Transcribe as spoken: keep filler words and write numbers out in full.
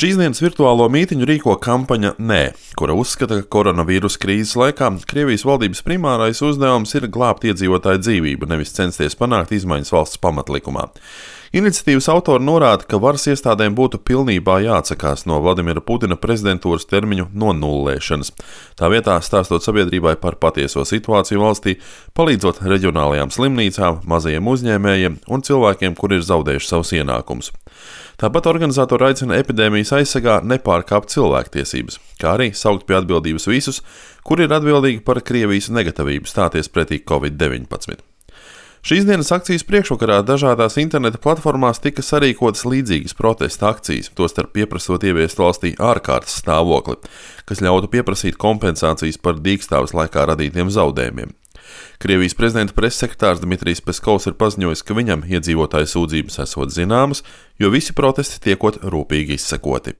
Šīs dienas virtuālo mītiņu rīko kampaņa Nē, kura uzskata, ka koronavīrusa krīzes laikā Krievijas valdības primārais uzdevums ir glābt iedzīvotāju dzīvību, nevis censties panākt izmaiņas valsts pamatlikumā. Iniciatīvas autori norāda, ka varas iestādēm būtu pilnībā jāatsakās no Vladimira Putina prezidentūras termiņu nonullēšanas. Tā vietā stāstot sabiedrībai par patieso situāciju valstī, palīdzot reģionālajām slimnīcām, mazajiem uzņēmējiem un cilvēkiem, kuri ir zaudējuši savus ienākumus. Tāpat organizatori aicina epidēmijas aizsargā nepārkāpt cilvēktiesības, kā arī saukt pie atbildības visus, kuri ir atbildīgi par Krievijas negatīvību stāties pretī covid deviņpadsmit. Šīs dienas akcijas priekšvakarā dažādās interneta platformās tika sarīkotas līdzīgas protesta akcijas, tostarp pieprasot ieviest valstī ārkārtas stāvokli, kas ļautu pieprasīt kompensācijas par dīkstāves laikā radītiem zaudējumiem. Krievijas prezidenta pressekretārs Dmitrijs Peskovs ir paziņojis, ka viņam iedzīvotāju sūdzības esot zināmas, jo visi protesti tiekot rūpīgi izsekoti.